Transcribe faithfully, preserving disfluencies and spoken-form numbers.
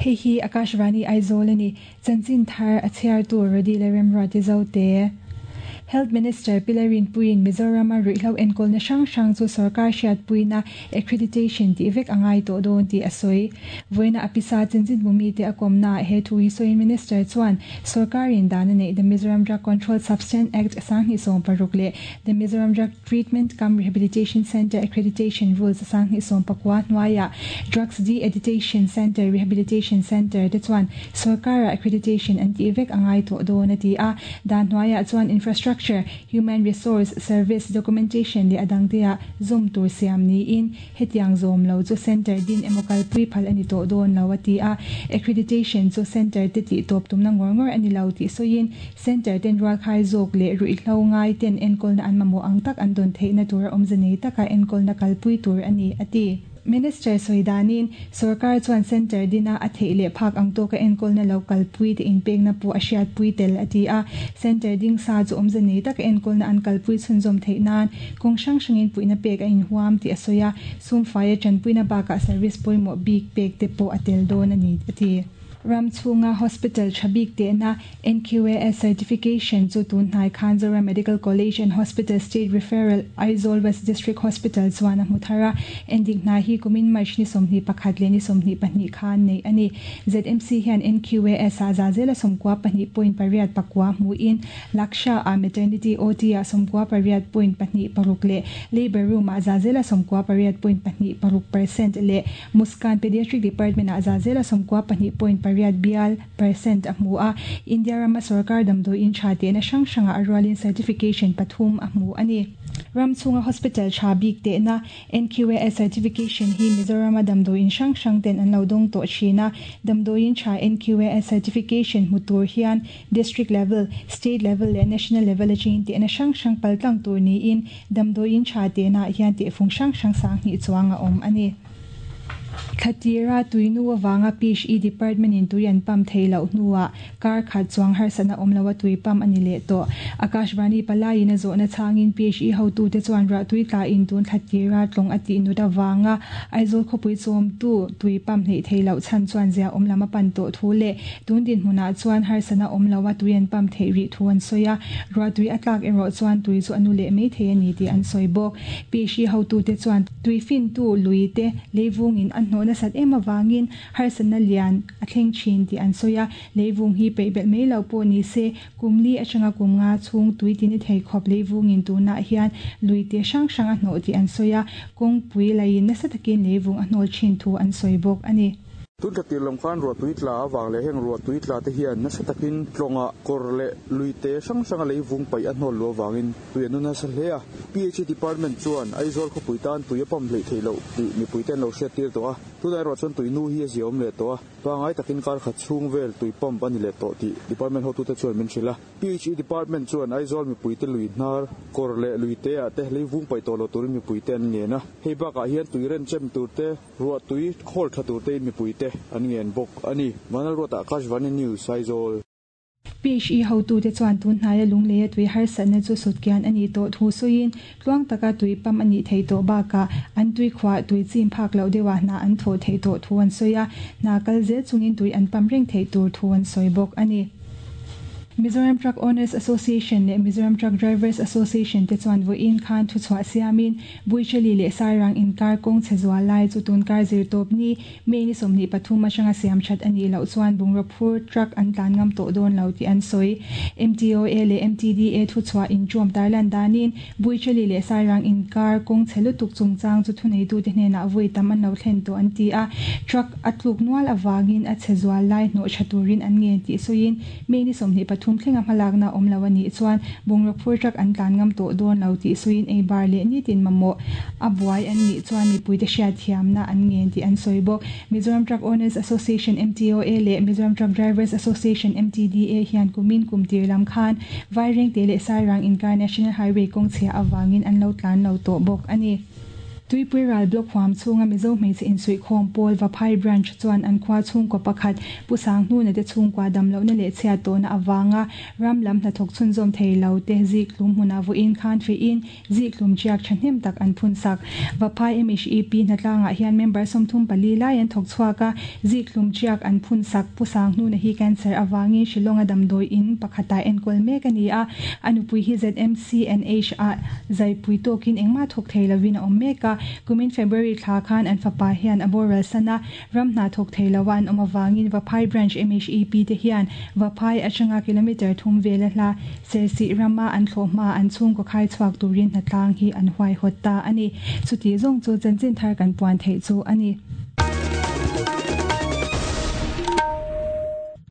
Hei hi Akashvani Aizawl a ni. Chanchin thar a chhiartu Rodi leh Remruati Zote. Health Minister Pilarin Puiin Mizorama ruihhlo enkawlna hrang hrang chu sorkar hriatpuina accreditation tih vek a ngai tawh dawn tih a sawi. Vawiina a pisa chanchin bumi te a kawmnaah he thu hi sawiin Minister chuan sorkarin dan a neih The Mizoram Drug Control Substance Act sanghnih sawm paruk leh The Mizoram Drug Treatment cum Rehabilitation Centre Accreditation Rules sanghnih sawm pakua hnuaiah Drugs De-Addiction Centre Rehabilitation Centre te chuan sorkara accreditation an tih vek a ngai tawh dawn a ti a. Dan hnuaiah chuan infrastructure, human resource, service, documentation leh a dangte ah zawm tur siam niin hetiang zawm lo chu center din emaw kalpui phal a ni tawh dawn lo a ti a. Accreditation chu center te tih tawp tumna ngawr ngawr a ni lo tih sawiin center ten rualkhai zawk leh ruihhlo ngai ten enkawlna an mamawh ang tak an dawn theihna tur a awmze nei taka enkawlna kalpui tur a ni a ti. Minister sawi danin sorkar chuan center dina a theih leh phak ang tawka enkawlna lo kalpui te inpekna pawh a hriatpui tel a ti a. Center ding sa chu awmze nei taka enkawlna an kalpui chhunzawm theih nan kawng hrang hrangin puihna pek a inhuam tih a sawi a. Sumfaia tanpuina bakah service pawimawh bik pek te pawh a tel dawn a ni a ti. Ram chhunga Hospital tha bik tehna N Q A S certification chu tun hnai khan Zoram Medical College and Hospital State Referral Aizawl West District Hospital chuan a hmu thar a. Endik hna hi kumin March ni sawmhnih pakhat leh ni sawmhnih pahnih khan nei a ni. Z M C hian N Q A S a zazela sawmkua pahnih point pariat pakua hmuin Laksha a maternity O T a sawmkua pariat point pahnih paruk leh labor room a zazela sawmkua pariat point pahnih paruk percent leh Muskan Pediatric Department a zazela sawmkua pahnih point pariat bial percent a hmu a. India rama sarkar damdawi in tha te na hrang hranga a rualin certification pathum a hmu a ni. Ram chhunga hospital tha bik te na N Q A S certification hi Mizorama damdawi in hrang hrang ten an lo dawng tawh thin a. Damdawi in tha N Q A S certification hmu tur hian district level, state level leh national level atangin te na hrang hrang paltlang tur niin damdawi in tha te na hian te fung hrang hrang sang hnih chuang a awm a ni. Khatira tuinu awanga P H E department in tui an pam theilo hnuah kar khat chuang harsana awmlowa tui pam ani leh tawh. Akashvani palaiin a zawhna changin P H E hotu te chuan rah tui tla in tun khatira tlawng a tih nut awanga Aizawl khawpui chawm tu tui pam hleih theilo chhan chuan zia awm lam a pan tawh thu leh tun din hmunah chuan harsana awmlowa tui an pam theih rih thu an sawi a. Rah tui a tlak erawh chuan tui chu anu leh mai thei a ni tih an sawi bawk. P H E hotu te chuan tui fin tu lui te leivungin an hnawh nasat em awangin harsana lian a thleng thin tih an sawi a. Leivung hi peih belh mai lo pawh ni se kumli atanga kum nga chhung tui tin i thei khawp leivungin tunah hian lui te hrang hrang a hnawh tih an sawi a. Kawngpui laiin nasa takin leivung a hnawl thin thu an sawi bawk a ni. Tun khatir lam khan rua tui tla awang leh heng rua tui tla te hian nasa takin tlawnga kawr leh lui te hrang hranga leivung paih a hnawl lu awangin tui an nasa hle a. P H E department chuan Aizawl khawpui tan tui a pam hleih theih loh tih mipui ten lo hriat tir tawh a. Tunah erawh chuan tui nu hi a zia awm leh tawh a. Pangai takin kar khat chhung vel tui pump a ni leh tawh tih department hotu te chuan min hrilh a. P H E department chuan Aizawl mipui te lui hnar kawr leh lui te ah te leivung paih tawh lo turin mipui te an ngen a. Hei bakah hian tui ren chem tur te rua tui khawl tha tur te in mipui te an ngen bawk a ni. Vanal Ruata Akashvani News Aizawl. P H E hotu te chuan tun hnaia lungleia tui harsatna chu sutkian a ni tawh thu sawiin tluang taka tui pam a nih thei tawh bakah an tui khuah tui chim phak loh deuhah hna an thawh theih tawh thu an sawi a. Hna kal zel chungin tui an pam reng theih tur thu an sawi bawk a ni. Mizoram Truck Owners Association leh Mizoram Truck Drivers Association te chuan vawiin khan thu chhuah siamin Buichali leh Sairang inkar kawng che zual lai chu tun kar zir tawp ni May ni sawmhnih pathum atanga siam that a nih loh chuan bungraw phur truck an tlan ngam tawh dawn lo tih an sawi. M T O A leh M T D A thu chhuah inṭawm tarlan danin Buichali leh Sairang inkar kawng che lutuk chungchang chu thuneitu te hnenah vawi tam an lo thlen tawh an ti a. Truck a tluk nual awangin a che zual lai hnawh tha turin an ngen tih sawiin May ni sawmhnih pathum thlenga hmalakna awm lo a nih chuan bungraw phur truck an tlan ngam tawh dawn lo tih sawiin ei bar leh nitin mamawh a buai an nih chuan mipui te hriat thiamna an ngen tih an sawi bawk. Mizoram Truck Owners Association M T O A leh Mizoram Truck Drivers Association M T D A hian kumin kumtir lam khan Vaireng te leh Sairang inkar National Highway kawng chhia awangin an lo tlan lo tawh bawk a ni. Tuipuiral Block huam chhunga Mizo hmeichhe insuihkhawm pawl Vaphai Branch chuan an khua chhungkaw pakhat Pu Sanghnuna te chhungkua damlohna leh chhiat tawhna avanga ram lam hnathawk chhunzawm thei lo te zikhlum hmunah vawiin khan feiin zikhlum chiak thahnem tak an phun sak. Vaphai M H E P hnatlangah hian member sawmthum pali lai an thawk chhuak a, zikhlum chiak an phun sak. Pu Sanghnuna hi cancer avangin Shillonga damdawi in pakhatah enkawl mek a ni a, a nupui hi Z M C N H ah zaipui tawkin engmah thawk thei lovin a awm mek a. Kumin February thla khan an fapa hian a boral sana ram hna thawk thei lo an awm awangin Vaphai Branch M H E P te hian Vaphai atanga kilometer thum vela hla Sersi rama an thlawhma an chhungkaw khai chhuak turin hnatlang hi an huai hawt ta ani. Chuti zawng chu chanchin thar kan puan theih chu ani.